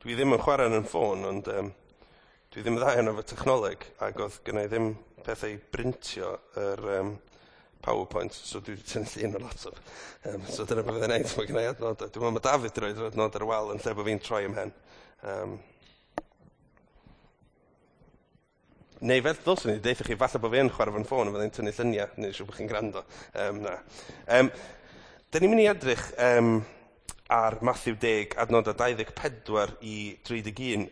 Dwi ddim yn chwarae yn ffôn, ond dwi ddim yn dda iawn efo technoleg, ac oedd gynna i ddim pethau i brintio yr PowerPoint, so dwi wedi tynnu llun o'r laptop. So dyna beth fyddai'n neud, mae gynna i adnodau. Dwi'n meddwl mae David wedi rhoi adnod ar y wal yn lle bod fi'n troi ymhen. Neu fel ddylswn i deutha chi, falle bod fi yn chwarae fo'n ffôn a fyddai'n tynnu lluniau, neu siŵr bod chi'n gwrando. Na. Da ni'n mynd i edrych ar Matthew 10, adnodau 24 i 31.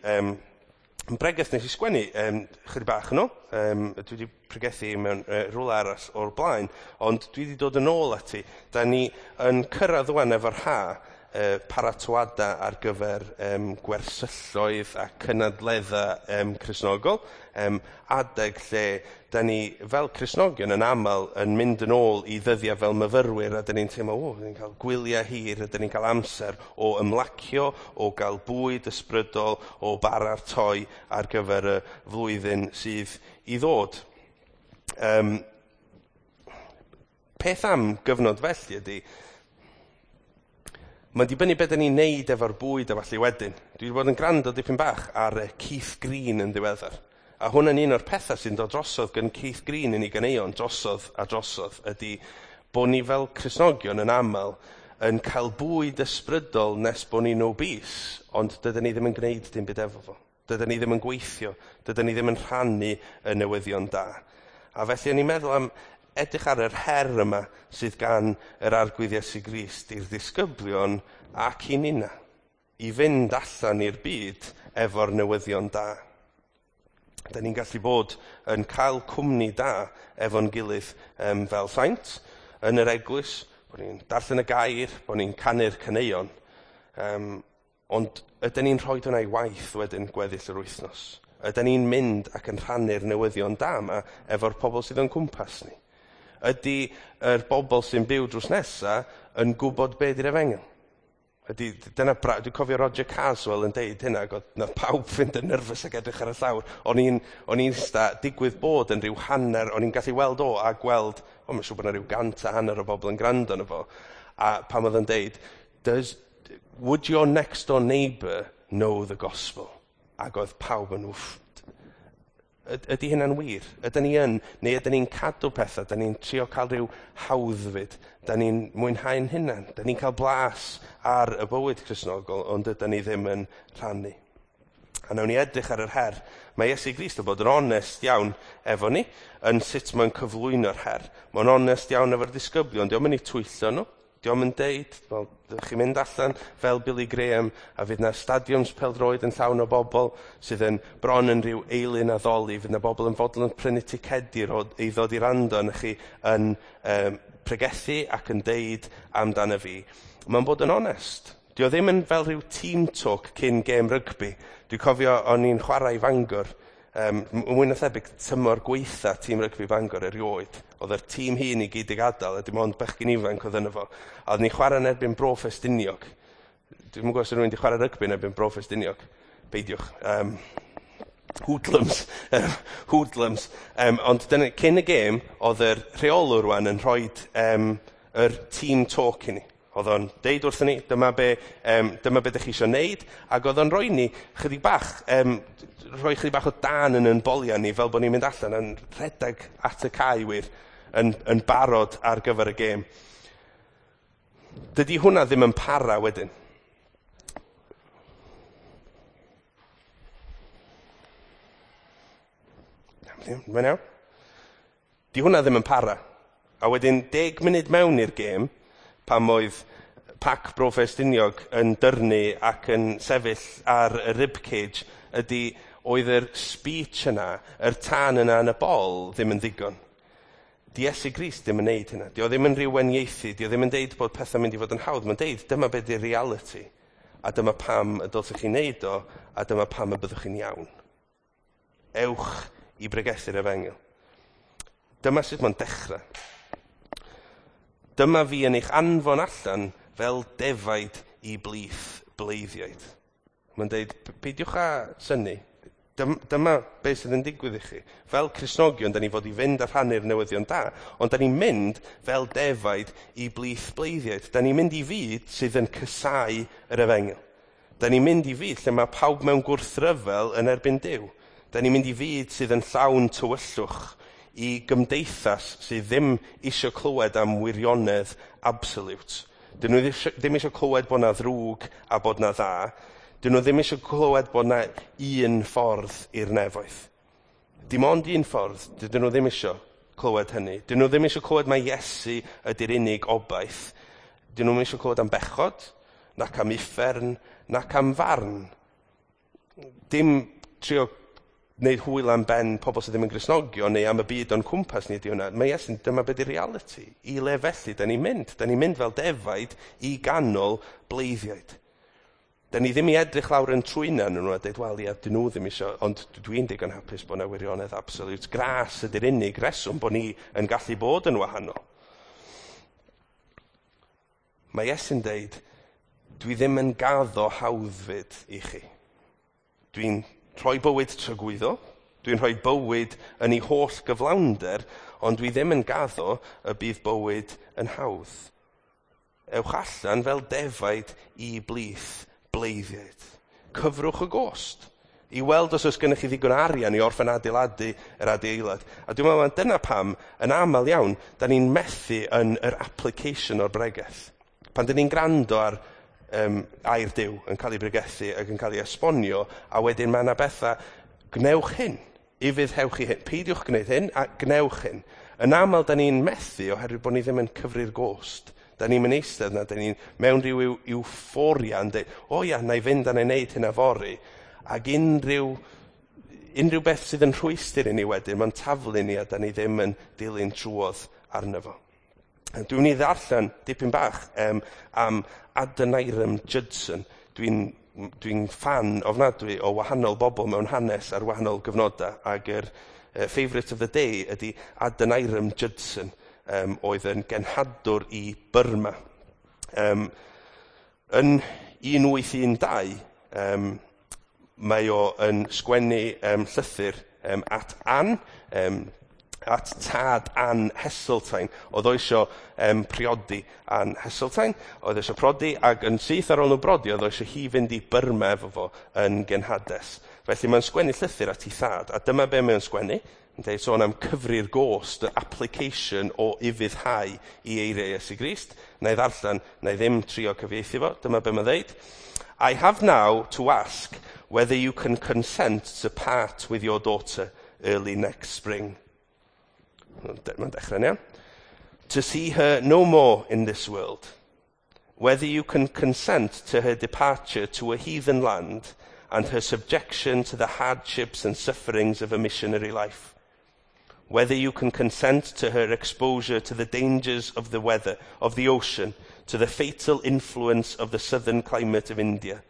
Yn bregeth nes i sgwennu chydig bach yn ôl. Dwi wedi pregethu mewn rhywle arall o'r blaen, ond dwi wedi dod yn ôl ati. Da ni yn cyrraedd ŵan efo'r ha, paratoadau ar gyfer gwersylloedd a cynadleddau Cristnogol, adeg lle da ni fel Cristnogion yn aml yn mynd yn ôl i ddyddiau fel myfyrwyr, a da ni'n teimlo, o, da ni'n cael gwyliau hir, a da ni'n cael amser o ymlacio, o gael bwyd ysbrydol, o baratoi ar gyfer y flwyddyn sydd i ddod. Peth am gyfnod felly ydy, mae'n dibynnu beth 'dan ni'n neud efo'r bwyd a falle wedyn. Dwi wedi bod yn gwrando dipyn bach ar Keith Green yn ddiweddar. A hwn yn un o'r pethau sy'n dod drosodd gan Keith Green yn ei ganeuon drosodd a drosodd ydy bod ni fel Cristnogion yn aml yn cael bwyd ysbrydol nes bod ni'n obese, ond dydyn ni ddim yn gwneud dim byd efo fo. Dydyn ni ddim yn gweithio, dydyn ni ddim yn rhannu y newyddion da. A felly o'n i'n meddwl am edrych ar yr her yma sydd gan yr Arglwydd Iesu Grist i'r disgyblion ac i ninna, i fynd allan i'r byd efo'r newyddion da. Da ni'n gallu bod yn cael cwmni da efo'n gilydd fel saint yn yr eglwys, bod ni'n darllen y gair, bod ni'n canu'r caneuon, ond ydyn ni'n rhoi hwnna i waith wedyn gweddill yr wythnos? Ydyn ni'n mynd ac yn rhannu'r newyddion da yma efo'r pobl sydd o'n cwmpas ni? Ydy yr bobl sy'n byw drws nesa yn gwybod be di'r efengyl? Dyna dwi'n cofio Roger Caswell yn deud hynna, ac oedd nath pawb fynd yn nervous ac edrych ar y llawr. O'n i'n ista digwydd bod yn rhyw hanner, o'n i'n gallu weld o a gweld, o, mae'n siŵr bod yna rhyw 150 o bobl yn gwrando arno fo. A pan oedd yn deud, would your next door neighbour know the gospel? Ac oedd pawb yn wff. Ydy hynna'n wir? Ydyn ni yn, neu ydyn ni'n cadw pethau, ydyn ni'n trio cael rhyw hawddfyd, ydyn ni'n mwynhau'n hunan, ydyn ni'n cael blas ar y bywyd Cristnogol, ond ydyn ni ddim yn rhannu. A nawn ni edrych ar yr her. Mae Iesu Grist yn bod yn onest iawn efo ni, yn sut mae'n cyflwyno'r her. Mae'n onest iawn efo'r disgyblion, dio'm yn eu twyllo nhw. Dio'm yn deud, wel, ddech chi'n mynd allan fel Billy Graham a fydd na stadiwms pêl-droed yn llawn o bobl sydd yn bron yn rhyw eilun addoli, fydd na bobl yn fodlon prynu ticedi i ddod i rando arnoch chi yn pregethu ac yn deud amdano fi. Mae'n bod yn onest. Dio ddim yn fel rhyw team talk cyn gêm rygbi. Dwi'n cofio o'n i'n chwarae i Fangor, mwy na thebyg tymor gweitha tîm rygbi Bangor erioed. Oedd yr tîm hŷn i gyd i gadael, a dim ond bechgyn ifanc oedd yno fo. A oedden ni'n chwarae yn erbyn Bro Ffestiniog. Dwi'm yn gwybod os rhywun wedi chwarae rygbi yn erbyn Bro Ffestiniog. Peidiwch. Hoodlums. Hoodlums. Ond dyna, cyn y gêm, oedd yr rheolwr rwan yn rhoi yr team talk i ni. Oedd o'n deud wrthyn ni, dyma be dych chi eisiau neud, ac oedd o'n rhoi ni chydig bach, rhoi chydig bach o dan yn ein boliau ni, fel bod ni'n mynd allan yn rhedeg at y cae wir, yn barod ar gyfer y gêm. Dydy hwnna ddim yn para wedyn. Mae'n iawn? Di hwnna ddim yn para. A wedyn 10 munud mewn i'r gêm, pam oedd pac Bro Ffestiniog yn dyrnu ac yn sefyll ar y ribcage, ydy oedd yr speech yna, yr tân yna yn y bol ddim yn ddigon. Di Iesu Grist ddim yn neud hynna. Di o ddim yn rhyw wenieithu, di o ddim yn deud bod pethau'n mynd i fod yn hawdd. Mae'n deud dyma be di'r reality, a dyma pam y dylsech chi neud o, a dyma pam y byddwch chi'n iawn. Ewch i bregethu'r efengyl. Dyma sut mae'n dechrau. Dyma fi yn eich anfon allan fel defaid i blith bleiddiaid. Mae'n deud, peidiwch â synnu. Dyma beth sydd yn digwydd i chi. Fel Cristnogion, da ni fod i fynd a rhannu'r newyddion da, ond da ni'n mynd fel defaid i blith bleiddiaid. Da ni'n mynd i fyd sydd yn casáu yr efengyl. Da ni'n mynd i fyd lle mae pawb mewn gwrthryfel yn erbyn Duw. Da ni'n mynd i fyd sydd yn llawn tywyllwch, i gymdeithas sydd ddim eisiau clywed am wirionedd absolute. Dyn nhw ddim eisiau clywed bod na ddrwg a bod na dda. Dyn nhw ddim eisiau clywed bod na un ffordd i'r nefoedd. Dim ond un ffordd, dydyn nhw ddim eisiau clywed hynny. Dyn nhw ddim eisiau clywed mai Iesu ydy'r unig obaith. Dyn nhw ddim eisiau clywed am bechod, nac am uffern, nac am farn. Dim trio wneud hwyl am ben pobl sydd ddim yn Gristnogion neu am y byd o'n cwmpas ni ydy hwnna. Mae Iesu'n, dyma beth yw'r reality. I le felly, da ni'n mynd. Da ni'n mynd fel defaid i ganol bleiddiaid. Da ni ddim i edrych lawr yn trwyna nhw a dweud, wel ia, dyn nhw ddim eisiau, ond dwi'n digon hapus bod yna wirionedd absolute. Gras ydy'r unig reswm bod ni yn gallu bod yn wahanol. Mae Iesu'n deud, dwi ddim yn gaddo hawddfyd i chi. Dwi'n rhoi bywyd tragwyddol, dwi'n rhoi bywyd yn ei holl gyflawnder, ond dwi ddim yn gaddo y bydd bywyd yn hawdd. Ewch allan fel defaid i blith bleiddiaid. Cyfrwch y gost i weld os oes gennych chi ddigon arian i orffen adeiladu yr adeilad. A dwi'n meddwl dyna pam, yn aml iawn, da ni'n methu yn yr application o'r bregeth. Pan da ni'n gwrando ar air Duw yn cael ei bregethu ac yn cael ei esbonio, a wedyn mae yna bethau, gwnewch hyn, ufuddhewch i hyn, peidiwch gwneud hyn a gwnewch hyn. Yn aml, da ni'n methu oherwydd bod ni ddim yn cyfri'r gost. Da ni'n mynd eistedd na, da ni'n mewn rhyw euphoria yn dweud, o ia, na i fynd a na i wneud hynna fory. Ac unrhyw beth sydd yn rhwystr i ni wedyn, mae'n taflu ni a da ni ddim yn dilyn trwodd arno fo. Dwi'n mynd i ddarllen dipyn bach am Adoniram Judson. Dwi'n ffan ofnadwy o wahanol bobl mewn hanes ar wahanol gyfnodau, ac yr favourite of the day ydy Adoniram Judson, oedd yn genhadwr i Burma. Yn 1812, mae o yn sgwennu llythyr at Anne, at tad Anne Heseltine. Oedd o eisiau priodi Anne Heseltine, oedd eisiau prodi, ac yn syth ar ôl nhw brodi, oedd o eisiau hi fynd i Burma efo fo yn genhades. Felly mae'n sgwennu llythyr at ei thad, a dyma be mae'n sgwennu. Yn dweud sôn am cyfri'r gost, y application o ufuddhau i eiriau Iesu Grist. Na i ddarllen, na i ddim trio cyfieithu fo, dyma be mae'n dweud. I have now to ask whether you can consent to part with your daughter early next spring. Mae'n dechrau'n iawn. To see her no more in this world. Whether you can consent to her departure to a heathen land and her subjection to the hardships and sufferings of a missionary life. Whether you can consent to her exposure to the dangers of the weather, of the ocean, to the fatal influence of the southern climate of India,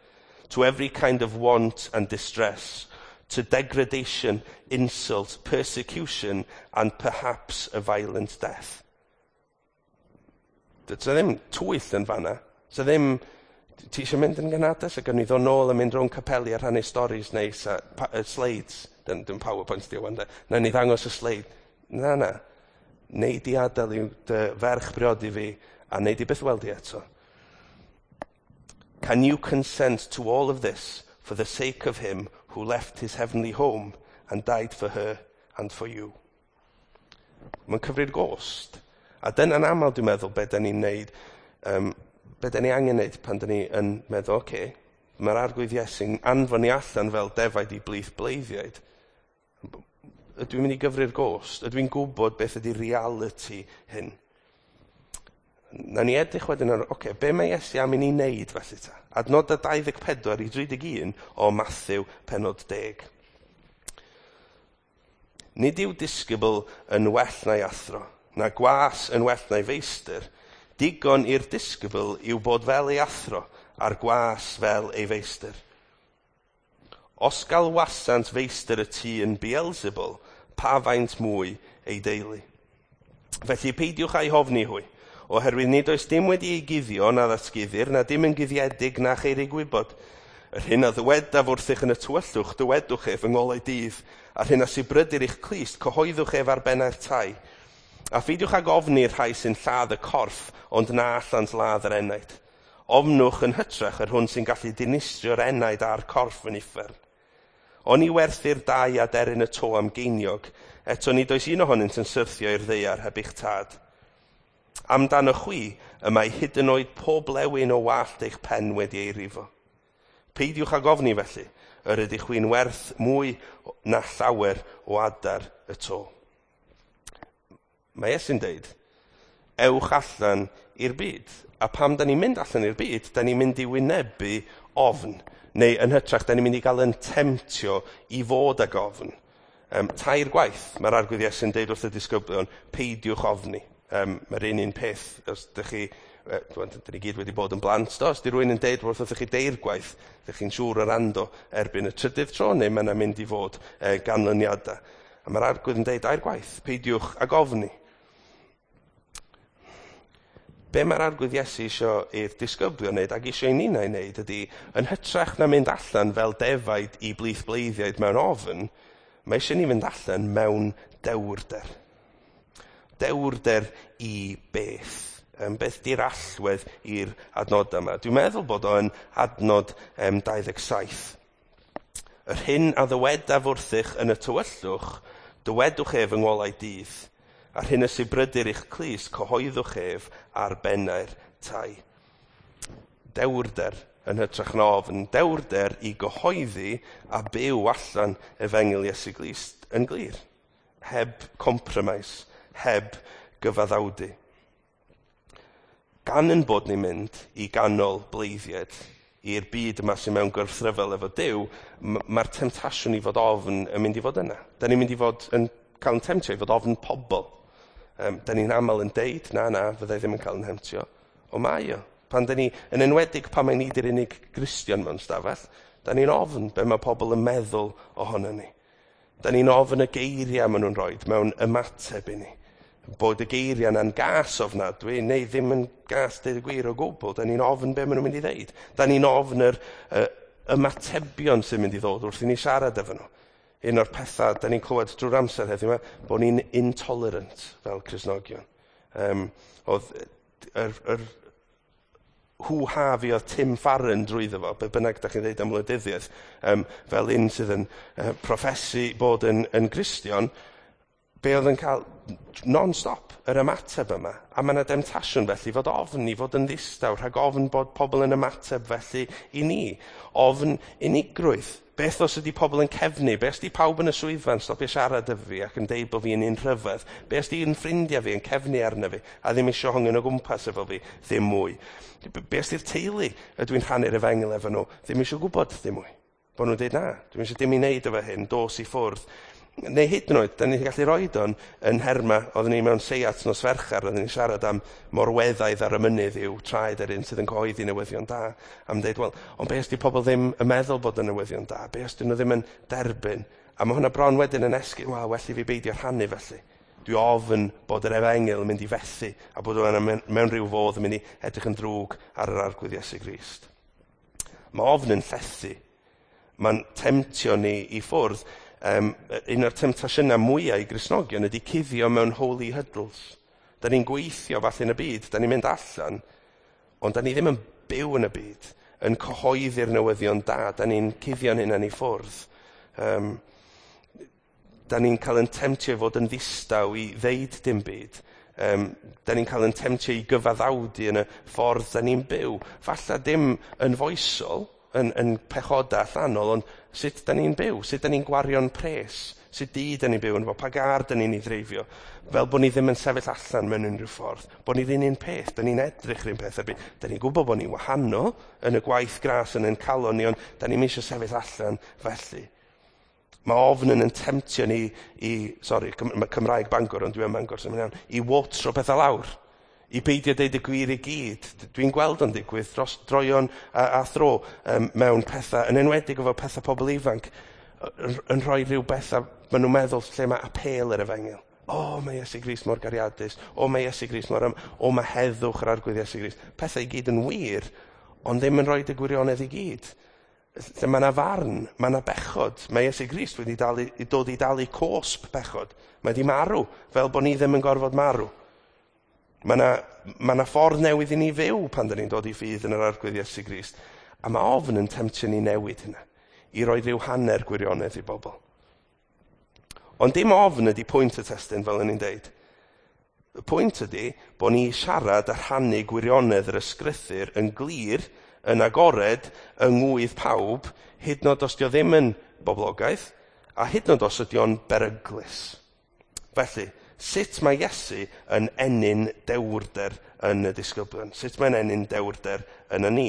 to every kind of want and distress, to degradation, insult, persecution, and perhaps a violent death. Does ddim twyll yn fanna. Does ddim, ti eisiau mynd yn genhades ac yn i ddod nôl a mynd rownd capeli a rhannu stories neis a slides. Dim PowerPoint di o wan de. Na ni ddangos y sleid. Na, na. Nei di adael i dy ferch briodi fi a nei di byth weld i eto. Can you consent to all of this for the sake of him who left his heavenly home and died for her and for you? Mae'n cyfri'r gost. A dyna'n aml dwi'n meddwl be da ni'n neud, be da ni angen neud pan da ni yn meddwl, oce, okay, mae'r Arglwydd Iesu'n anfon ni allan fel defaid i blith bleiddiaid. Ydw i'n mynd i gyfri'r gost? Ydw i'n gwybod beth ydy reality hyn? Na ni edrych wedyn ar, oce, okay, be mae Iesu am i ni wneud felly ta? Adnodau 24 i 31 o Matthew penod 10. Nid yw disgybl yn well na'i athro, na gwas yn well na'i feistr. Digon i'r disgybl yw bod fel ei athro, a'r gwas fel ei feistr. Os galwasant feistr y tŷ yn Beelzebul, pa faint mwy ei deulu. Felly peidiwch â'i hofni hwy, oherwydd nid oes dim wedi ei guddio na ddatguddir, na dim yn guddiedig na cheir ei gwybod. Yr hyn a ddywedaf wrthych yn y tywyllwch, dywedwch ef yng ngolau dydd, a'r hyn a sibrydir i'ch clust, cyhoeddwch ef ar bennau'r tai. A pheidiwch ag ofni'r rhai sy'n lladd y corff, ond na allant ladd yr enaid. Ofnwch yn hytrach yr hwn sy'n gallu dinistrio'r enaid a'r corff yn uffern. Oni werthir dau aderyn y to am geiniog, eto nid oes un ohonynt yn syrthio i'r ddaear heb eich tad. Amdano chwi, y mae hyd yn oed pob blewyn o wallt eich pen wedi ei rifo. Peidiwch ag ofni felly, yr ydych chwi'n werth mwy na llawer o adar y to. Mae Iesu'n deud, ewch allan i'r byd. A pam da ni'n mynd allan i'r byd, da ni'n mynd i wynebu ofn. Neu yn hytrach, da ni'n mynd i gael yn temtio i fod ag ofn. Tair gwaith mae'r Arglwydd Iesu'n deud wrth y disgyblion, peidiwch ofni. Mae'r un peth, os ydych chi, dyn ni gyd wedi bod yn blant, do, os di rhywun yn deud wrth chi deir gwaith, ydych chi'n siŵr o wrando erbyn y trydydd tro, neu mae'n mynd i fod ganlyniadau. A mae'r Arglwydd yn deud dair gwaith, peidiwch ag ofni. Be mae'r Arglwydd Iesu isio i'r disgyblion wneud ac isio i ninnau wneud ydy, yn hytrach na mynd allan fel defaid i blith bleiddiaid mewn ofn, mae eisiau ni fynd allan mewn dewrder. Dewrder i beth. Beth di'r allwedd i'r adnod yma? Dwi'n meddwl bod o'n adnod 27. Yr hyn a ddywedaf wrthych yn y tywyllwch, dywedwch ef yng ngolau dydd. A'r hyn y sibrydir i'ch clust, cyhoeddwch ef ar bennau'r tai. Dewrder yn hytrach na ofn. Dewrder i gyhoeddi a byw allan efengyl Iesu Grist yn glir. Heb compromise, heb gyfaddawdu. Gan yn bod ni'n mynd i ganol bleiddiaid, i'r byd yma sy'n mewn gwrthryfel efo Duw, mae'r temtasiwn i fod ofn yn mynd i fod yna. Da ni'n mynd i fod yn cael yn temtio i fod ofn pobl. Da ni'n aml yn deud, na, fyddai ddim yn cael yn temtio. O mae o. Pan da ni, yn enwedig pan mae ni di'r unig Gristion mewn stafell, da ni'n ofn be mae pobl yn meddwl ohono ni. Da ni'n ofn y geiriau maen nhw'n rhoi mewn ymateb i ni. Bod y geiriau yna'n gas ofnadwy, neu ddim yn gas deud y gwir o gwbl. Da ni'n ofn be maen nhw'n mynd i ddeud. Da ni'n ofn yr ymatebion sy'n mynd i ddod wrth i ni siarad efo nhw. Un o'r pethau da ni'n clywed drwy'r amser heddiw yma, bod ni'n intolerant fel Cristnogion. Oedd yr hw-ha fi oedd Tim Farron drwyddo fo, be bynnag da chi'n dweud am wleidyddiaeth, fel un sydd yn proffesu bod yn Gristion, be oedd yn cael non-stop yr ymateb yma. A mae yna demtasiwn felly fod ofn i fod yn ddistaw, rhag ofn bod pobl yn ymateb felly i ni. Ofn unigrwydd. Beth os ydy pobl yn cefnu? Beth os ydy pawb yn y swyddfa'n stopio siarad efo fi ac yn deud bod fi'n un rhyfedd? Beth os ydy un ffrindiau fi yn cefnu arno fi a ddim eisiau hongian o gwmpas efo fi ddim mwy? Beth os ydy'r teulu ydw i'n rhannu'r efengyl efo nhw ddim eisiau gwybod ddim mwy? Bod nhw'n deud na, dwi'n eisiau dim i wneud efo hyn, dos i ffwrdd. Neu hyd yn oed, da ni'n gallu roed o'n yn herma, oedden ni mewn seiat nos Fercher, oedden ni'n siarad am morweddaidd ar y mynydd yw traed yr un sydd yn cyhoeddi newyddion da. Am dweud, wel, ond be os di pobl ddim yn meddwl bod yn newyddion da? Be os dyn nhw ddim yn derbyn? A mae hwnna bron wedyn yn esgus, wel, well i fi beidio rhannu felly. Dwi ofn bod yr efengyl yn mynd i fethu a bod o'n mewn rhyw fodd yn mynd i edrych yn ddrwg ar yr Arglwydd Iesu Grist. Mae ofn yn llethu. Mae'n temtio ni i ffwrdd. Un o'r temtasiynau mwyaf i Gristnogion ydy cuddio mewn holy huddles. Da ni'n gweithio falle yn y byd, da ni'n mynd allan, ond da ni ddim yn byw yn y byd, yn cyhoeddi'r newyddion da, da ni'n cuddio'n hunain i ffwrdd. Da ni'n cael yn temtio i fod yn ddistaw i ddeud dim byd. Da ni'n cael yn temtio i gyfaddawdu yn y ffordd da ni'n byw. Falle dim yn foesol, yn pechoda allanol, ond sut da ni'n byw, sut da ni'n gwario'n pres, sut di da ni'n byw yn fo, pa gar da ni'n ei ddreifio, fel bod ni ddim yn sefyll allan mewn unrhyw ffordd, bod ni ddim un peth, da ni'n edrych yr un peth, da ni'n gwybod bod ni'n wahanol yn y gwaith gras yn ein calon ni, ond da ni'n eisiau sefyll allan felly. Mae ofn yn temtio ni i, sori, Cymraeg Bangor, ond dwi yn Bangor, sy'n mynd iawn, i watro pethau lawr. I beidio deud y gwir i gyd. Dwi'n gweld o'n digwydd dros droion a thro mewn pethau, yn enwedig efo pethau pobl ifanc, yn rhoi rhyw bethau, maen nhw'n meddwl lle mae apêl yr efengyl. O, mae Iesu Grist mor gariadus. O, mae Iesu Grist mor... O, mae heddwch yr Arglwydd Iesu Grist. Pethau i gyd yn wir, ond ddim yn rhoi y gwirionedd i gyd. Lle mae yna farn, mae yna bechod. Mae Iesu Grist wedi dod i dalu cosb bechod. Mae wedi marw, fel bod ni ddim yn gorfod marw. Mae yna ma na ffordd newydd i ni fyw pan da ni'n dod i ffydd yn yr Arglwydd Iesu Grist. A mae ofn yn temtio ni newid hynna, i roi rhyw hanner gwirionedd i bobl. Ond dim ofn ydy pwynt y testun, fel o'n i'n deud. Y pwynt ydy bod ni siarad a rhannu gwirionedd yr ysgrythur yn glir, yn agored, yng ngwydd pawb, hyd yn oed os dio ddim yn boblogaidd, a hyd yn oed os ydy o'n beryglus. Felly, sut mae Iesu yn ennyn dewrder yn y disgyblion? Sut mae'n ennyn dewrder yn y ni?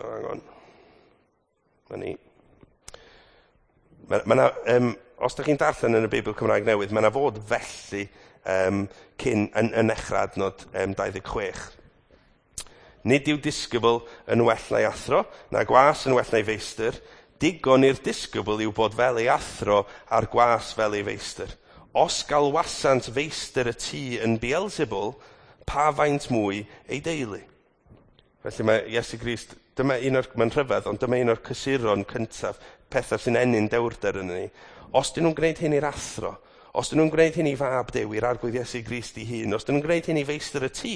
Hang on. Mae ni. Mae ma os ydych chi'n darllen yn y Beibl Cymraeg Newydd, mae yna fod felly cyn yn nechrau adnod 26. Nid yw disgybl yn well na'i athro, na gwas yn well na'i feistr. Digon i'r disgybl yw bod fel ei athro a'r gwas fel ei feistr. Os galwasant feistr y tŷ yn Beelzebul, pa faint mwy ei deulu? Felly mae Iesu Grist, dyma un o'r, mae'n rhyfedd, ond dyma un o'r cysuron cyntaf, pethau sy'n ennyn dewrder yn ni. Os dyn nhw'n gwneud hyn i'r athro, os dyn nhw'n gwneud hyn i fab Duw, i'r Arglwydd Iesu Grist ei hun, os dyn nhw'n gwneud hyn i feistr y tŷ,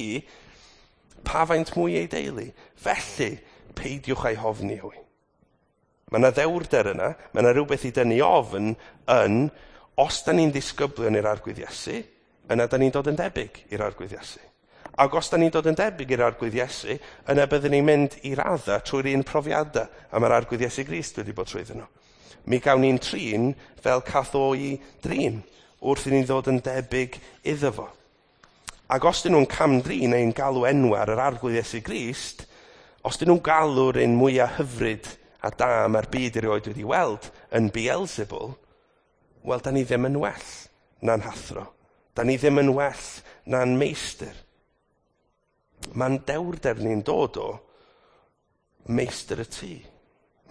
pa faint mwy ei deulu? Felly, peidiwch â'i hofni hwy. Mae yna ddewrder yna, mae yna rhywbeth i dynnu ofn yn, os da ni'n ddisgyblion i'r Arglwydd Iesu, yna da ni'n dod yn debyg i'r Arglwydd Iesu. Ac os da ni'n dod yn debyg i'r Arglwydd Iesu, yna byddwn ni'n mynd i radda trwy'r un profiadau a mae'r Arglwydd Iesu Grist wedi bod trwyddyn nhw. Mi gawn ni'n trin fel cath o'i drin wrth i ni ddod yn debyg iddo fo. Ac os dyn nhw'n cam-drin neu'n galw enw ar yr Arglwydd Iesu Grist, os dyn nhw'n galw'r un mwyaf hyfryd a da mae'r byd erioed wedi weld yn Beelzebul, wel, da ni ddim yn well na'n hathro. Da ni ddim yn well na'n meistr. Mae'n dewrder ni'n dod o meistr y tŷ,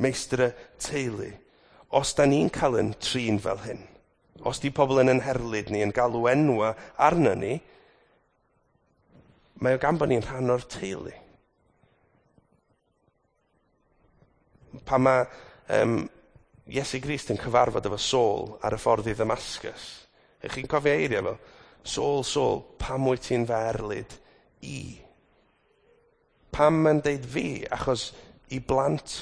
meistr y teulu. Os da ni'n cael yn trin fel hyn, os di pobl yn herlid ni, yn galw enwa arna ni, mae o gan bod ni'n rhan o'r teulu. Pan mae Iesu Grist yn cyfarfod efo Saul ar y ffordd i Ddamascus, ych chi'n cofio eiriau fel, Saul, Saul, pam wyt ti'n fy erlid i? Pam mae'n deud fi? Achos i blant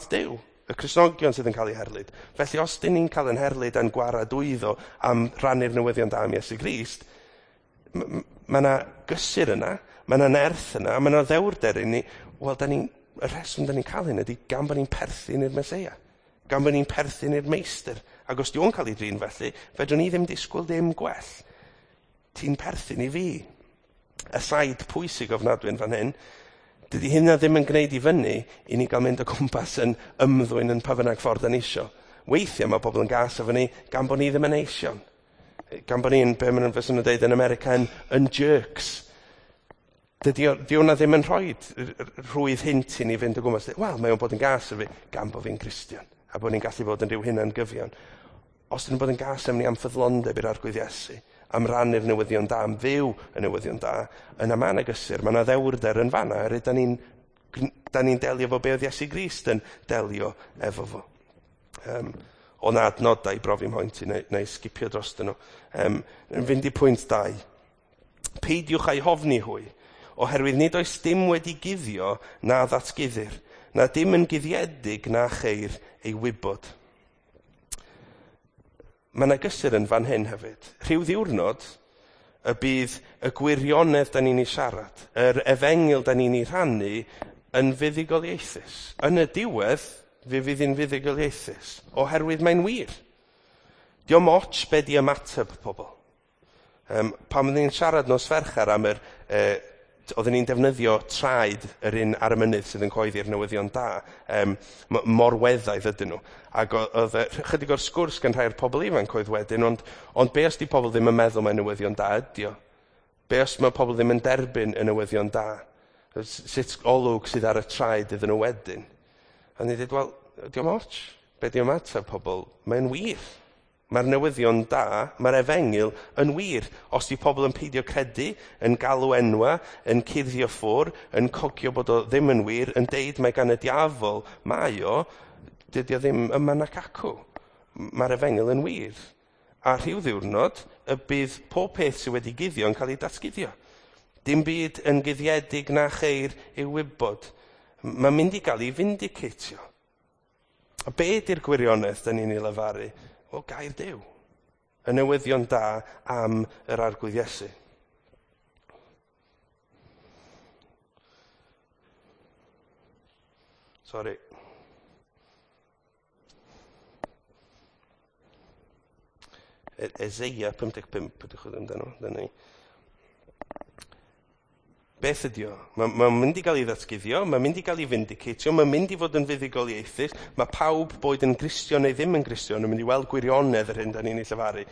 Duw, y Cristnogion sydd yn cael eu herlid. Felly os dyn ni'n cael yn herlid a'n gwaradwyddo am rannu'r newyddion da am Iesu Grist, mae yna gysur yna, mae yna nerth yna, mae yna ddewrder i ni. Wel, y rheswm da ni'n cael hyn ydy gan bod ni'n perthyn i'r Meseia, gan bod ni'n perthyn i'r meistr. Ac os di o'n cael ei drin felly, fedrwn ni ddim disgwyl dim gwell. Ti'n perthyn i fi. Aside pwysig ofnadwy yn fan hyn, dydy hynna ddim yn gwneud i fyny i ni gael mynd o gwmpas yn ymddwyn yn pa bynnag ffordd da ni isio. Weithiau mae pobl yn gas efo ni gan bod ni ddim yn eision. Gan bod ni'n, be maen nhw'n fysa nhw'n deud yn America, yn jerks. Dydy hwnna ddim yn rhoi rhwydd hint i ni fynd o gwmpas. Wel, mae o'n bod yn gas efo fi gan bod fi'n Gristion a bod ni'n gallu bod yn rhyw hunan gyfion. Os dyn nhw'n bod yn gas efo ni am ffyddlondeb i'r Arglwydd Iesu, am rannu'r newyddion da, am fyw y newyddion da, yna mae yna gysur, mae yna ddewrder yn fanna, er da ni'n delio efo be oedd Iesu Grist yn delio efo fo. O na adnodau i brofi mhoint i, neu sgipio dros nhw. Yn fynd i pwynt 2. Peidiwch â'i hofni hwy, oherwydd nid oes dim wedi guddio na ddatguddir, na dim yn guddiedig na cheir ei wybod. Mae yna gysur yn fan hyn hefyd. Rhyw ddiwrnod y bydd y gwirionedd da ni'n ei siarad, yr efengyl da ni'n ei rhannu yn fuddugoliaethus. Yn y diwedd, fe fydd hi'n fuddugoliaethus, oherwydd mae'n wir. Dio'm ots be di ymateb pobl. Pan oedden ni'n siarad nos Fercher am yr... oedden ni'n defnyddio traed yr un ar y mynydd sydd yn coeddi'r newyddion da, morweddaidd ydyn nhw. Ac oedd chydig o'r sgwrs gan rhai o'r pobl ifanc oedd wedyn, ond be os di pobl ddim yn meddwl mae newyddion da ydi o? Be os mae pobl ddim yn derbyn y newyddion da? Sut olwg sydd ar y traed iddyn nhw wedyn? A ni'n dweud, wel, dio'm ots. Be di ymateb pobl? Mae'n wir. Mae'r newyddion da, mae'r efengyl yn wir. Os di pobl yn peidio credu, yn galw enwa, yn cuddio ffwr, yn cogio bod o ddim yn wir, yn deud mae gan y diafol, mae o, dydy o ddim yma nac acw. Mae'r efengyl yn wir. A rhyw ddiwrnod, y bydd pob peth sydd wedi guddio yn cael ei datguddio. Dim byd yn guddiedig na cheir ei wybod. Mae'n mynd i gael ei vindicatio. A be ydy'r gwirionedd da ni'n ei lefaru? Wel, gair Duw. Y newyddion da am yr Arglwydd Iesu. Sorry. Eseia 55, ydych chi amdano, dyna ni. Beth ydi o? Mae'n ma mynd i gael ei ddatguddio, mae'n mynd i gael ei vindicatio, mae'n mynd i fod yn fuddugoliaethus. Mae pawb, boed yn Gristion neu ddim yn Gristion, yn mynd i weld gwirionedd yr hyn da ni'n ei llefaru.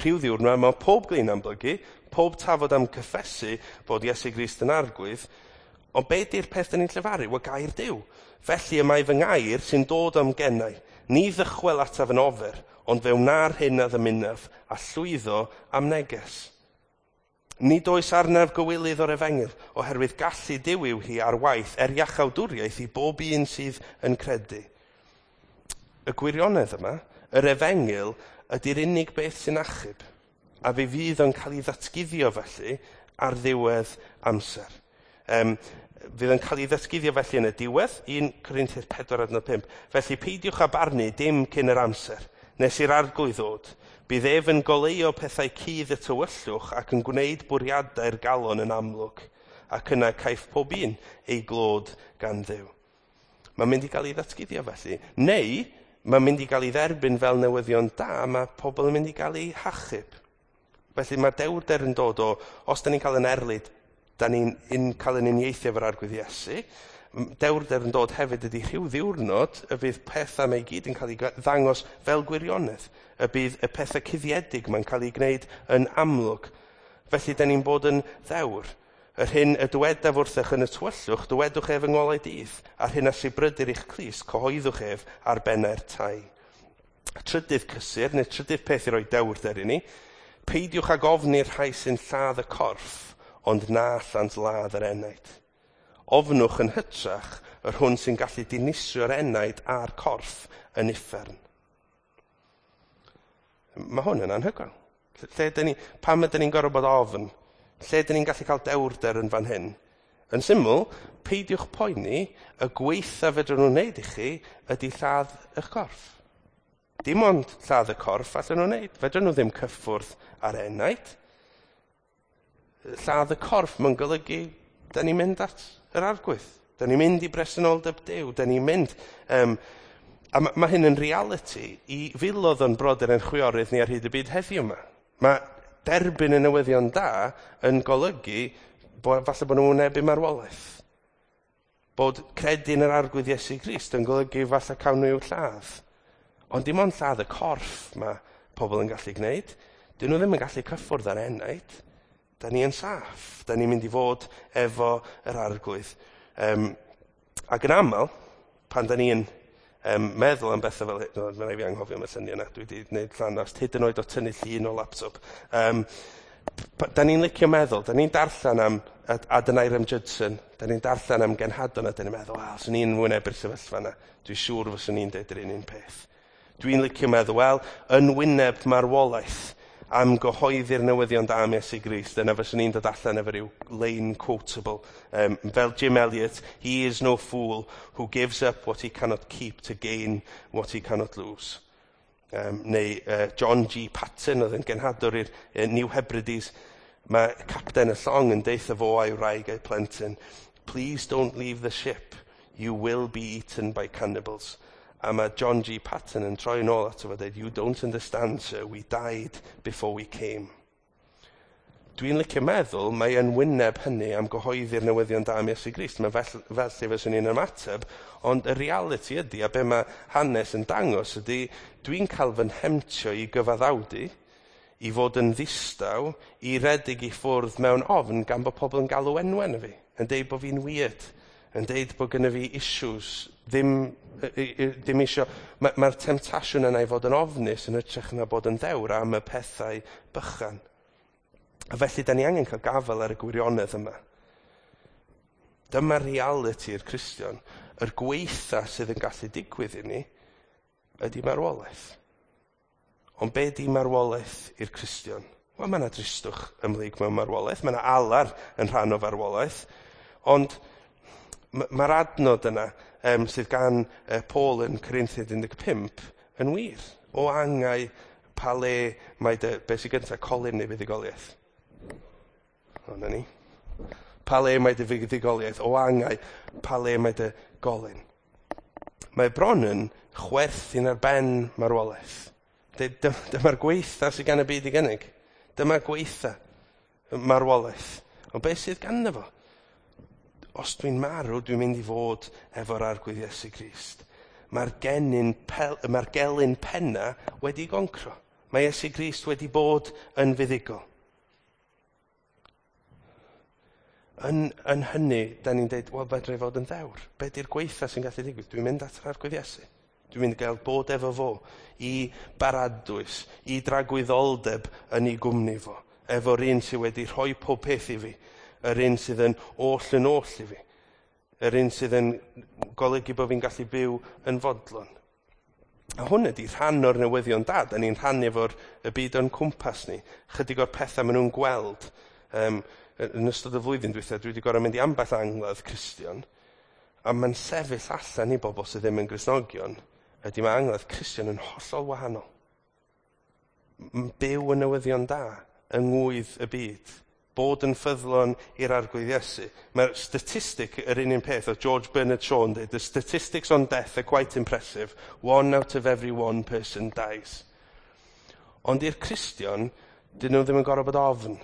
Rhyw ddiwrnod, mae pob glin am blygu, pob tafod am cyffesu bod Iesu Grist yn arglwydd, ond be di'r peth da ni'n llefaru? Wel, gair Duw. Felly y mae fy ngair sy'n dod am gennau. Ni ddychwel ataf yn ofer, ond fe wna'r hyn a ddymunaf, a llwyddo am neges. Nid oes arnaf gywilydd o'r efengyl, oherwydd gallu Duw yw hi ar waith er iachawdwriaeth i bob un sydd yn credu. Y gwirionedd yma, yr efengyl, ydy'r unig beth sy'n achub, a fe fydd o'n cael ei ddatguddio felly ar ddiwedd amser. Fydd yn cael ei ddatguddio felly yn y diwedd, 1 Corinthians 4 adnod 5. Felly peidiwch â barnu dim cyn yr amser, nes i'r arglwydd ddod. Bydd ef yn goleuo pethau cudd y tywyllwch ac yn gwneud bwriadau'r galon yn amlwg, ac yna caiff pob un ei glod gan Dduw. Mae'n mynd i gael ei ddatguddio felly. Neu, mae'n mynd i gael ei dderbyn fel newyddion da, mae pobl yn mynd i gael ei hachub. Felly mae dewrder yn dod o, os da ni'n cael yn erlid, da ni'n cael yn uniaethu efo'r Arglwydd Iesu, dewrder yn dod hefyd ydy rhyw ddiwrnod y bydd pethau mae i gyd yn cael ei ddangos fel gwirionedd. Y bydd y pethau cuddiedig mae'n cael ei gwneud yn amlwg. Felly, da ni'n bod yn ddewr. Yr hyn y dywedaf wrthych yn y tywyllwch, dywedwch ef yng ngolau dydd, a'r hyn a sibrydir i'ch clust, cyhoeddwch ef ar bennau'r tai. Trydydd cysur, neu trydydd peth i roi dewrder i ni, peidiwch ag ofni'r rhai sy'n lladd y corff, ond na allant ladd yr enaid. Ofnwch yn hytrach yr hwn sy'n gallu dinistrio'r enaid a'r corff yn uffern. Mae hwn yn anhygoel. Lle dyn ni, pam ydyn ni'n gorfod bod ofn? Lle dyn ni'n gallu cael dewrder yn fan hyn? Yn syml, peidiwch poeni, y gweitha fedrwn nhw'n wneud i chi ydy lladd eich corff. Dim ond lladd y corff allan nhw'n wneud. Fedrwn nhw ddim cyffwrdd ar enaid. Lladd y corff mae'n golygu da ni'n mynd at yr arglwydd. Da ni'n mynd i bresenoldeb Duw. Da ni'n mynd... a mae hyn yn reality i filoedd o'n brodyr ein chwiorydd ni ar hyd y byd heddiw yma. Mae derbyn y newyddion da yn golygu bo, falle bod nhw'n wynebu marwolaeth. Bod credu yn yr Arglwydd Iesu Grist yn golygu falle cawn nhw i'w lladd. Ond dim ond lladd y corff mae pobl yn gallu gwneud. Dyn nhw ddim yn gallu cyffwrdd ar enaid. Da ni yn saff. Da ni'n mynd i fod efo yr Arglwydd. Ac yn aml, pan da ni'n meddwl am bethau fel hyn, no, mae'n rhaid fi anghofio am y lluniau yna, dwi wedi gwneud llanast, hyd yn oed o tynnu llun o laptop. Da ni'n licio meddwl, da ni'n darllen am Adoniram Judson, da ni'n darllen am genhadon a da ni'n meddwl, wel, swn i'n wynebu'r sefyllfa yna, dwi'n siŵr fyswn i'n deud yr un peth. Dwi'n licio meddwl, wel, yn wyneb marwolaeth am gyhoeddi'r newyddion da am Iesu Grist, yna fyswn i'n dod allan efo rhyw line quotable. Fel Jim Elliot, he is no fool who gives up what he cannot keep to gain what he cannot lose. Neu John G. Patton oedd yn genhadwr i'r New Hebrides. Mae capten y llong yn deutha fo a'i wraig a'i plentyn, please don't leave the ship, you will be eaten by cannibals. A mae John G. Patton yn troi yn ôl ato fo dweud, you don't understand, sir, we died before we came. Dwi'n licio meddwl, mae yn wyneb hynny am gyhoeddi'r newyddion da am Iesu Grist. Mae fel lle fyswn i'n ymateb, ond y reality ydy, a be mae hanes yn dangos ydy, dwi'n cael fy nhemtio i gyfaddawdu, i fod yn ddistaw, i redeg i ffwrdd mewn ofn gan bod pobl yn galw enwau arna fi, yn deud bod fi'n weird, yn deud bod gynna fi issues, ddim isio. Mae'r temtasiwn yna i fod yn ofnus yn hytrach na bod yn ddewr am y pethau bychan. A felly, da ni angen cael gafael ar y gwirionedd yma. Dyma realiti'r Cristion. Yr gweitha sydd yn gallu digwydd i ni ydy marwolaeth. Ond be di marwolaeth i'r Cristion? Wel, mae yna dristwch ymhlyg mewn marwolaeth, mae yna alar yn rhan o farwolaeth, ond mae'r adnod yna sydd gan Paul yn Corinthiaid 15 yn wir. O angau pa le mae dy, be sy'n gyntaf, colyn neu fuddugoliaeth? O, na ni. Pa le mae dy fuddugoliaeth? O angau, pa le mae dy golyn? Mae bron yn chwerthin ar ben marwolaeth. Dyma'r gweitha sydd gan y byd i gynnig. Dyma'r gweitha marwolaeth. Ond beth sydd ganddo fo? Os dwi'n marw, dwi'n mynd i fod efo'r Arglwydd Iesu Grist. Mae'r gelyn penna wedi goncro. Mae Iesu Grist wedi bod yn fuddugol. Yn hynny, da ni'n dweud, wel, fedra i fod yn ddewr. Be di'r gweitha sy'n gallu digwydd? Dwi'n mynd at yr Arglwydd Iesu. Dwi'n mynd i gael bod efo fo i baradwys, i dragwyddoldeb yn ei gwmni fo. Efo'r un sydd wedi rhoi pob peth i fi. Yr un sydd yn oll yn oll i fi. Yr un sydd yn golygu bod fi'n gallu byw yn fodlon. A hwn ydy rhan o'r newyddion da. Da ni'n rhannu efo'r y byd o'n cwmpas ni. Chydig o'r pethau maen nhw'n gweld. Yn ystod y flwyddyn dwytha, dwi wedi gorfod mynd i ambell angladd Cristion. A mae'n sefyll allan i bobl sydd ddim yn Gristnogion. Ydy mae angladd Cristion yn hollol wahanol. Byw y newyddion da yng ngwydd y byd. Bod yn ffyddlon i'r Arglwydd Iesu. Mae'r statistic yr un peth oedd George Bernard Shaw yn dweud, the statistics on death are quite impressive. 1 out of every 1 person dies. Ond i'r Cristion, dyn nhw ddim yn gorfod bod ofn.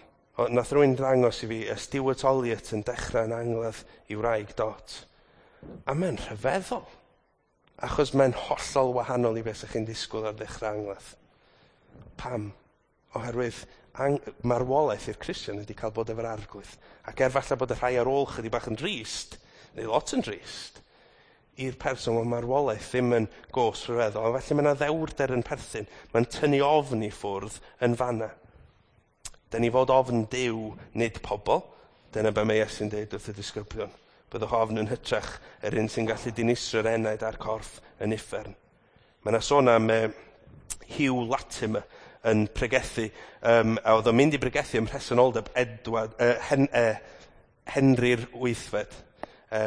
Nath rhywun ddangos i fi y Stuart Olliott yn dechrau yn angladd i wraig Dot. A mae'n rhyfeddol. Achos mae'n hollol wahanol i beth ydych chi'n disgwyl ar ddechrau angladd. Pam? Oherwydd marwolaeth i'r Cristion ydy cael bod efo'r Arglwydd. Ac er falle bod y rhai ar ôl chydig bach yn drist, neu lot yn drist, i'r person mae marwolaeth ddim yn gos rhyfeddol. Ond felly mae yna ddewrder yn perthyn. Mae'n tynnu ofn i ffwrdd yn fanna. Da ni fod ofn Duw, nid pobl. Dyna be mae Iesu'n dweud wrth y disgyblion. Byddwch ofn yn hytrach yr un sy'n gallu dinistrio'r enaid a'r corff yn uffern. Mae yna sôn am Hugh Latimer yn pregethu, a oedd o'n mynd i pregethu ym mhresenoldeb Henry'r Wythfed. A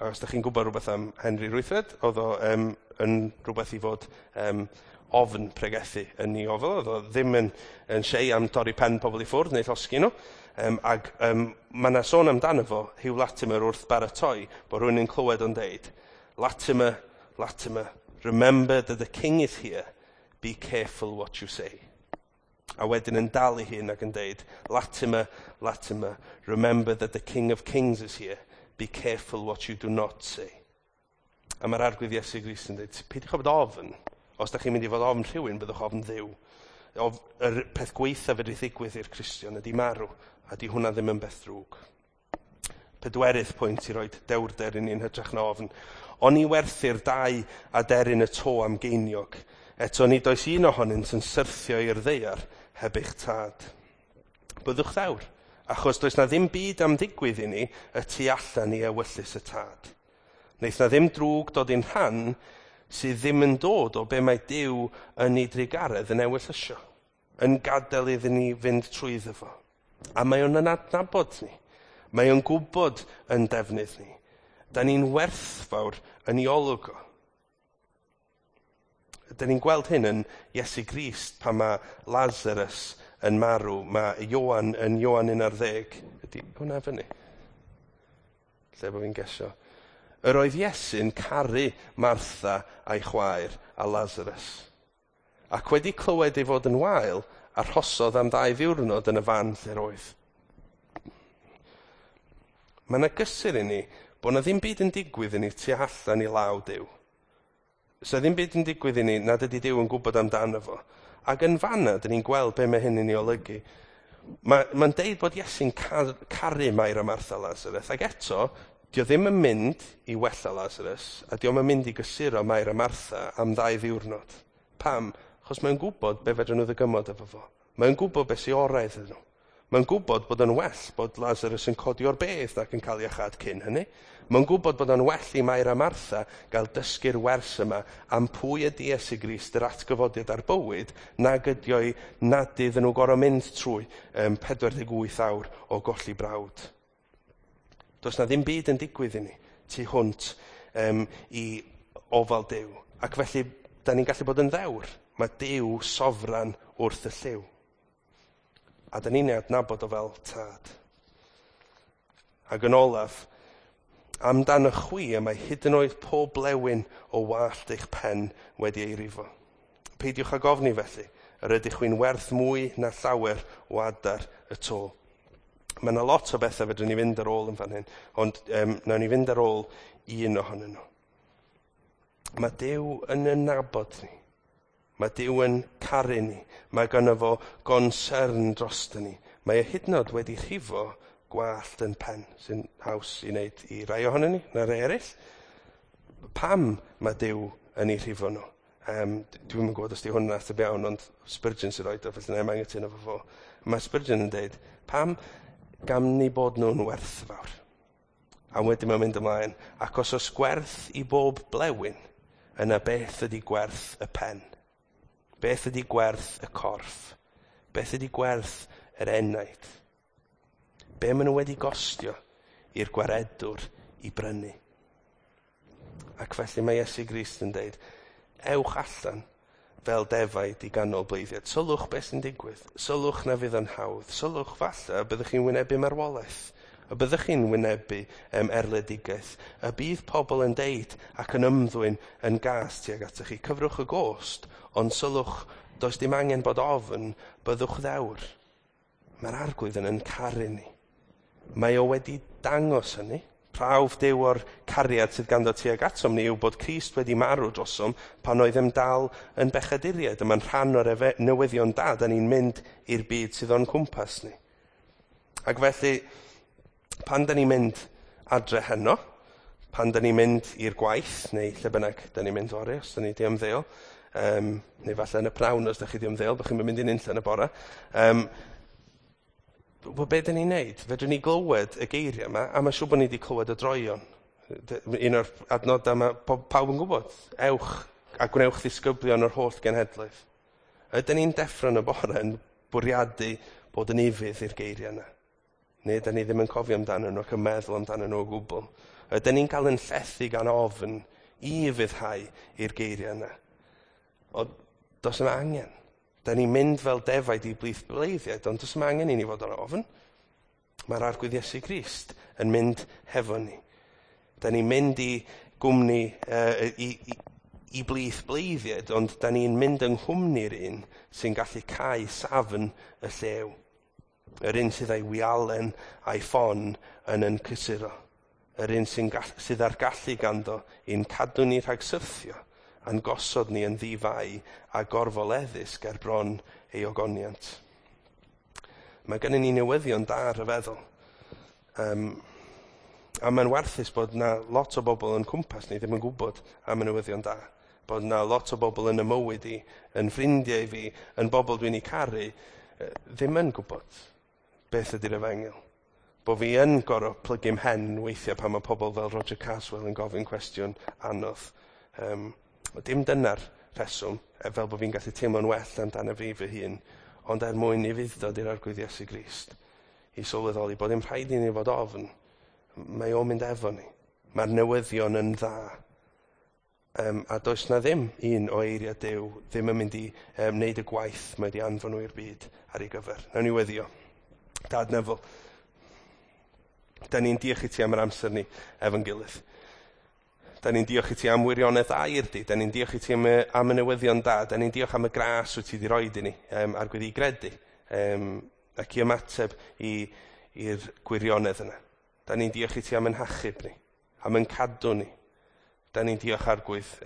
os ydych chi'n gwybod rhywbeth am Henry'r Wythfed, oedd o yn rhywbeth i fod ofn pregethu yn ei ofal. Oedd o ddim yn siei am torri pen pobl i ffwrdd neu llosgi nhw. Ac mae yna sôn amdano fo, Hugh Latimer wrth baratoi, bod rhywun yn clywed o'n deud, Latimer, Latimer, remember that the king is here, be careful what you say. A wedyn yn dal ei hun ac yn deud, Latimer, Latimer, remember that the King of Kings is here, be careful what you do not say. A mae'r Arglwydd Iesu Grist yn deud, peidiwch â bod ofn. Os da chi'n mynd i fod ofn rhywun, byddwch ofn Dduw. Yr peth gweitha fedri ddigwydd i'r Cristion ydy marw, a di hwnna ddim yn beth drwg. Pedwerydd pwynt i roi dewrder i ni'n hytrach na ofn. Oni werthir dau aderyn y to am geiniog. Eto nid oes un ohonynt yn syrthio i'r ddaear heb eich tad. Byddwch ddewr, achos does na ddim byd am ddigwydd i ni y tu allan i ewyllys y tad. Wneith na ddim drwg dod i'n rhan sydd ddim yn dod o be mae Duw yn ei drugaredd yn ewyllysio, yn gadael iddyn ni fynd trwyddo fo. A mae o'n adnabod ni. Mae o'n gwybod yn defnydd ni. Da ni'n werthfawr yn ei olwg o. Da ni'n gweld hyn yn Iesu Grist pan mae Lazarus yn marw. Mae Ioan yn Ioan 11. Ydy hwnna fyny? Lle bod fi'n gesio? Yr oedd Iesu'n caru Martha a'i chwaer a Lazarus. Ac wedi clywed ei fod yn wael, arhosodd am 2 ddiwrnod yn y fan lle'r oedd. Mae yna gysur i ni bod yna ddim byd yn digwydd i ni tu allan i law Duw. So ddim byd yn digwydd i ni nad ydy Duw yn gwybod amdano fo. Ac yn fanna, dyn ni'n gweld be mae hyn yn ei olygu. Mae'n deud bod Iesu'n caru Mair a Martha Lazarus, ac eto, dio ddim yn mynd i wella Lazarus, a dio yn mynd i gysuro Mair a Martha am 2 ddiwrnod. Pam? Achos mae'n gwybod be fedrwn nhw ddygymod efo fo. Mae'n gwybod be sy'n orau iddyn nhw. Mae'n gwybod bod yn well bod Lazarus yn codi o'r bedd ac yn cael iachâd cyn hynny. Mae'n gwybod bod yn well i Mair a Martha gael dysgu'r wers yma am pwy ydy Iesu Grist, yr atgyfodiad a'r bywyd, nag ydy o'i nad iddyn nhw gorfod mynd trwy 48 awr o golli brawd. Does na ddim byd yn digwydd i ni tu hwnt i ofal Duw. Ac felly, da ni'n gallu bod yn ddewr. Mae Duw sofran wrth y llyw. A da ni'n ei adnabod o fel tad. Ac yn olaf, amdano chwi y mae hyd yn oed pob blewyn o wallt eich pen wedi ei rifo. Peidiwch ag ofni felly, yr ydych chwi'n werth mwy na llawer o adar y to. Mae yna lot o bethau fedrwn ni fynd ar ôl yn fan hyn, ond nawn ni fynd ar ôl un ohonyn nhw. Mae Duw yn ein nabod ni. Mae Duw yn caru ni. Mae gynno fo gonsern drosto ni. Mae e hyd yn oed wedi rhifo gwallt yn pen, sy'n haws i wneud i rai ohonon ni, na rai eraill. Pam mae Duw yn ei rhifo nhw? Dwi'm yn gwybod os di hwn yn ateb iawn, ond Spurgeon sy'n rhoid o, felly na i'm anghytuno efo fo. Mae Spurgeon yn deud, pam gan ni bod nhw'n werthfawr? A wedyn mae'n mynd ymlaen, ac os oes gwerth i bob blewyn, yna beth ydy gwerth y pen? Beth ydy gwerth y corff? Beth ydy gwerth yr enaid? Be maen nhw wedi gostio i'r gwaredwr i brynu? Ac felly mae Iesu Grist yn deud, ewch allan fel defaid i ganol bleiddiaid. Sylwch beth sy'n digwydd. Sylwch na fydd yn hawdd. Sylwch falle y byddwch chi'n wynebu marwolaeth. Y byddwch chi'n wynebu erledigaeth. Y bydd pobl yn deud ac yn ymddwyn yn gas tuag atoch chi. Cyfrwch y gost, ond sylwch, does dim angen bod ofn, byddwch ddewr. Mae'r Arglwydd yn caru ni. Mae o wedi dangos hynny. Prawf Duw o'r cariad sydd ganddo tuag atom ni yw bod Crist wedi marw drosom pan oeddem dal yn bechaduriaid. A mae'n rhan o'r newyddion da, da ni'n mynd i'r byd sydd o'n cwmpas ni. Ac felly, pan da ni'n mynd adre heno, pan da ni'n mynd i'r gwaith, neu lle bynnag da ni'n mynd fory, os da ni di ymddeol, neu falle yn y pnawn os da chi di ymddeol, bod chi'n mynd i'n unlle yn y bore. Wel, be dyn ni'n neud? Fedrwn ni glywed y geiriau yma, a mae'n siŵr bod ni wedi clywed y droeon. Un o'r adnodau mae pawb yn gwybod. Ewch a gwnewch ddisgyblion o'r holl genhedloedd. Ydyn ni'n deffro yn y bore yn bwriadu bod yn ufudd i'r geiriau yna? Neu ydyn ni ddim yn cofio amdano nhw ac yn meddwl amdano nhw o gwbl? Ydyn ni'n cael yn llethu gan ofn i ufuddhau i'r geiriau yna? O, does yna angen. Da ni'n mynd fel defaid i blith bleiddiaid, ond does yma angen i ni fod ar ofn. Mae'r Arglwydd Iesu Grist yn mynd hefo ni. Da ni'n mynd i gwmni, i blith bleiddiaid, ond da ni'n mynd yng nghwmni'r un sy'n gallu cau safn y llew. Yr un sydd â'i wialen a'i ffon yn cysuro. Yr un sydd â'r gallu ganddo i'n cadw ni rhag syrthio a'n gosod ni yn ddifai a gorfoleddus ger bron ei ogoniant. Mae gennym ni newyddion da rhyfeddol. A mae'n warthus bod na lot o bobl yn cwmpas ni ddim yn gwybod am y newyddion da. Bod na lot o bobl yn y mywyd i, yn ffrindiau i fi, yn bobl dwi'n eu caru, ddim yn gwybod beth ydy'r efengyl. Bo fi yn gorfod plygu mhen weithiau pan mae pobl fel Roger Carswell yn gofyn cwestiwn anodd. Dim dyna'r rheswm, fel bod fi'n gallu teimlo'n well amdano fi fy hun, ond er mwyn i fuddod i'r Arglwydd Iesu Grist, i sylweddoli bod dim rhaid i ni fod ofn, mae o'n mynd efo ni. Mae'r newyddion yn dda. A does na ddim un o eiriau Duw ddim yn mynd i wneud y gwaith mae wedi anfon nhw i'r byd ar ei gyfer. Nawn ni weddio. Dad nefol, da ni'n diolch i ti am yr amser ni efo'n gilydd. Da ni'n diolch i ti am wirionedd air di. Da ni'n diolch i ti am y newyddion da. Da ni'n diolch am y gras wyt ti wedi roed i ni a'r gwedd i gredu ac i ymateb i'r gwirionedd yna. Da ni'n diolch i ti am yn hachub ni, am yn cadw ni. Da ni'n diolch Arglwydd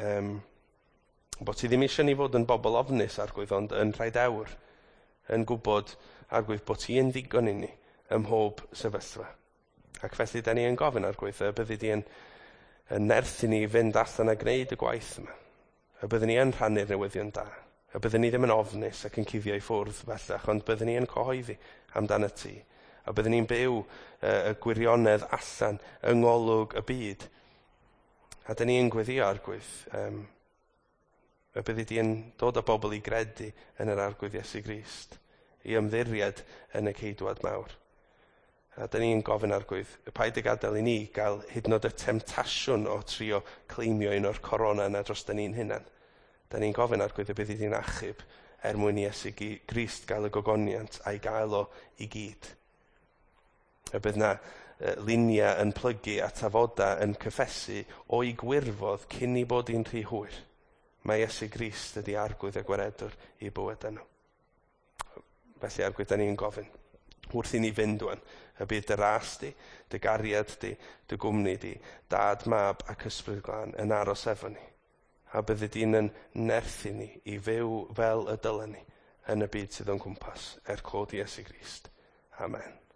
bod ti ddim eisiau ni fod yn bobl ofnus Arglwydd, ond yn rhaid awr yn gwybod Arglwydd bod ti yn ddigon i ni ym mhob sefyllfa. Ac felly da ni yn gofyn Arglwydd y byddi di yn nerth i ni fynd allan a gwneud y gwaith yma. Y byddwn ni yn rhannu'r newyddion da. A byddwn ni ddim yn ofnus ac yn cuddio i ffwrdd bellach, ond byddwn ni yn cyhoeddi amdano ti. A byddwn ni'n byw y gwirionedd allan yng ngolwg y byd. A dyn ni'n gweddio, Arglwydd, y byddi di yn dod â bobl i gredu yn yr Arglwydd Iesu Grist, i ymddiried yn y Ceidwad mawr. A dyn ni'n gofyn, Arglwydd, y paid y gadael i ni gael hyd yn oed y temtasiwn o trio claimio un o'r corona yna dros dyn ni'n hunan. Da ni'n gofyn, Arglwydd, y byddi di'n achub er mwyn i Iesu Grist gael y gogoniant a'i gael o i gyd. Y bydd na luniau yn plygu a tafoda yn cyffesu o'i gwirfodd cyn i bod hi'n rhy hwyr. Mae Iesu Grist ydi Arglwydd a Gwaredwr i bywyd nhw. Felly, Arglwydd, da ni'n gofyn wrth i ni fynd wan, y bydd dy ras di, dy gariad di, dy gwmni di, Dad, Mab ac Ysbryd Glân yn aros efo ni. A byddi di'n yn nerthu ni i fyw fel y dylen ni yn y byd sydd o'n cwmpas, er clod Iesu Grist. Amen.